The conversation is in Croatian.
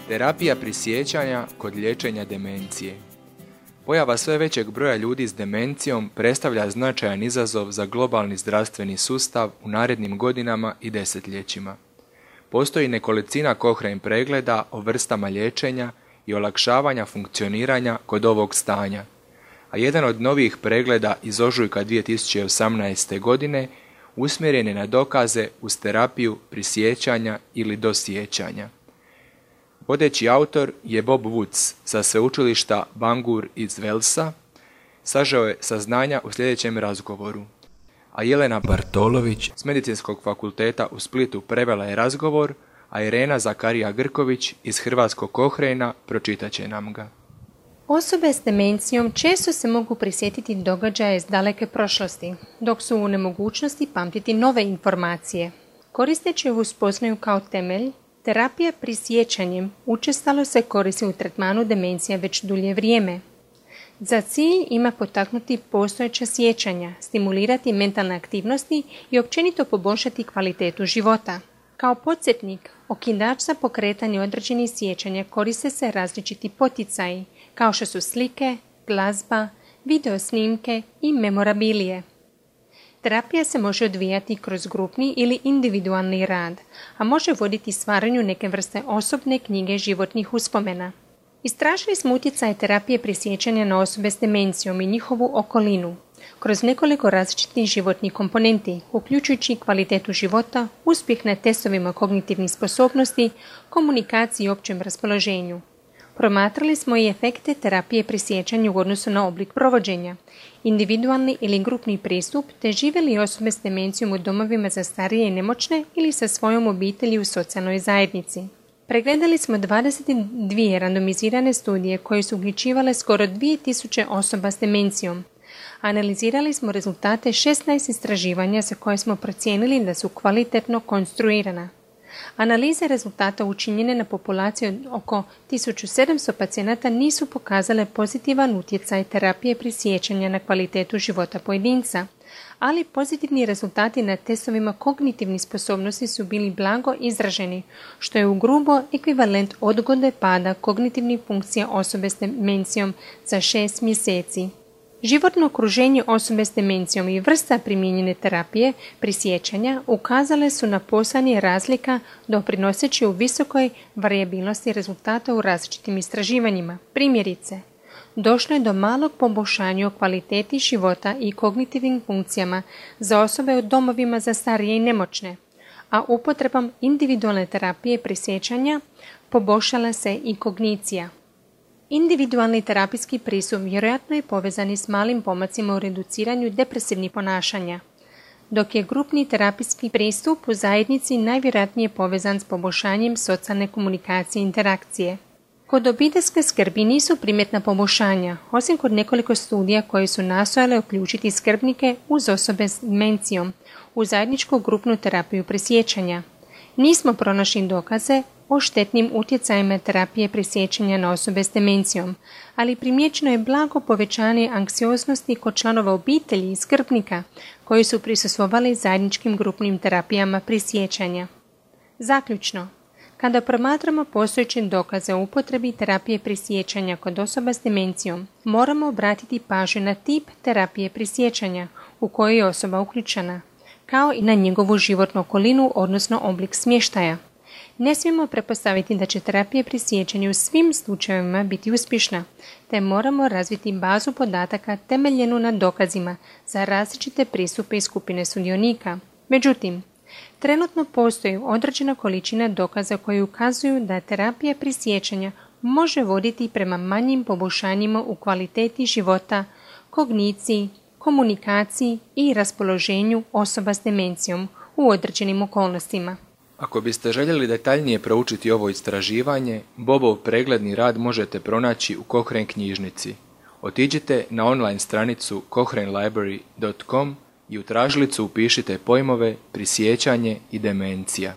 Terapija prisjećanja kod liječenja demencije. Pojava sve većeg broja ljudi s demencijom predstavlja značajan izazov za globalni zdravstveni sustav u narednim godinama i desetljećima. Postoji nekolicina Cochrane pregleda o vrstama liječenja i olakšavanja funkcioniranja kod ovog stanja, a jedan od novih pregleda iz ožujka 2018. godine usmjeren je na dokaze uz terapiju prisjećanja ili dosjećanja. Vodeći autor je Bob Woods sa sveučilišta Bangor iz Walesa, sažeo je saznanja u sljedećem razgovoru, a Jelena Bartolović s Medicinskog fakulteta u Splitu prevela je razgovor, a Irena Zakarija Grković iz Hrvatskog Cochrana pročitat će nam ga. Osobe s demencijom često se mogu prisjetiti događaje iz daleke prošlosti, dok su u nemogućnosti pamtiti nove informacije. Koristeći ovu spoznaju kao temelj, terapija prisjećanjem učestalo se koristi u tretmanu demencije već dulje vrijeme. Za cilj ima potaknuti postojeća sjećanja, stimulirati mentalne aktivnosti i općenito poboljšati kvalitetu života. Kao podsjetnik, okidač za pokretanje određenih sjećanja koriste se različiti poticaji, kao što su slike, glazba, video snimke i memorabilije. Terapija se može odvijati kroz grupni ili individualni rad, a može voditi stvaranju neke vrste osobne knjige životnih uspomena. Istražili smo utjecaj terapije prisjećanja na osobe s demencijom i njihovu okolinu, kroz nekoliko različitih životnih komponenti, uključujući kvalitetu života, uspjeh na testovima kognitivnih sposobnosti, komunikaciji i općem raspoloženju. Promatrali smo i efekte terapije prisjećanja u odnosu na oblik provođenja, individualni ili grupni pristup, te žive li osobe s demencijom u domovima za starije i nemoćne ili sa svojom obitelji u socijalnoj zajednici. Pregledali smo 22 randomizirane studije koje su uključivale skoro 2000 osoba s demencijom. Analizirali smo rezultate 16 istraživanja za koje smo procijenili da su kvalitetno konstruirana. Analize rezultata učinjene na populaciji od oko 1700 pacijenata nisu pokazale pozitivan utjecaj terapije prisjećanja na kvalitetu života pojedinca, ali pozitivni rezultati na testovima kognitivnih sposobnosti su bili blago izraženi, što je ugrubo ekvivalent odgode pada kognitivnih funkcija osobe s demencijom za 6 mjeseci. Životno okruženje osobe s demencijom i vrsta primijenjene terapije prisjećanja ukazale su na postojanje razlika doprinoseći u visokoj varijabilnosti rezultata u različitim istraživanjima. Primjerice, došlo je do malog poboljšanja u kvaliteti života i kognitivnim funkcijama za osobe u domovima za starije i nemoćne, a upotrebom individualne terapije prisjećanja poboljšala se i kognicija. Individualni terapijski pristup vjerojatno je povezan s malim pomacima u reduciranju depresivnih ponašanja, dok je grupni terapijski pristup u zajednici najvjerojatnije povezan s poboljšanjem socijalne komunikacije i interakcije. Kod obiteljske skrbi nisu primjetna poboljšanja, osim kod nekoliko studija koje su nastojale uključiti skrbnike uz osobe s demencijom u zajedničku grupnu terapiju prisjećanja. Nismo pronašli dokaze o štetnim utjecajima terapije prisjećanja na osobe s demencijom, ali primijećeno je blago povećanje anksioznosti kod članova obitelji i skrbnika koji su prisustvovali zajedničkim grupnim terapijama prisjećanja. Zaključno, kada promatramo postojeće dokaze o upotrebi terapije prisjećanja kod osoba s demencijom, moramo obratiti pažnju na tip terapije prisjećanja u kojoj je osoba uključena, kao i na njegovu životnu okolinu, odnosno oblik smještaja. Ne smijemo pretpostaviti da će terapija prisjećanja u svim slučajevima biti uspješna, te moramo razviti bazu podataka temeljenu na dokazima za različite pristupe i skupine sudionika. Međutim, trenutno postoji određena količina dokaza koji ukazuju da terapija prisjećanja može voditi prema manjim poboljšanjima u kvaliteti života, kogniciji, komunikaciji i raspoloženju osoba s demencijom u određenim okolnostima. Ako biste željeli detaljnije proučiti ovo istraživanje, Bobov pregledni rad možete pronaći u Cochrane knjižnici. Otiđite na online stranicu cochranelibrary.com i u tražilicu upišite pojmove prisjećanje i demencija.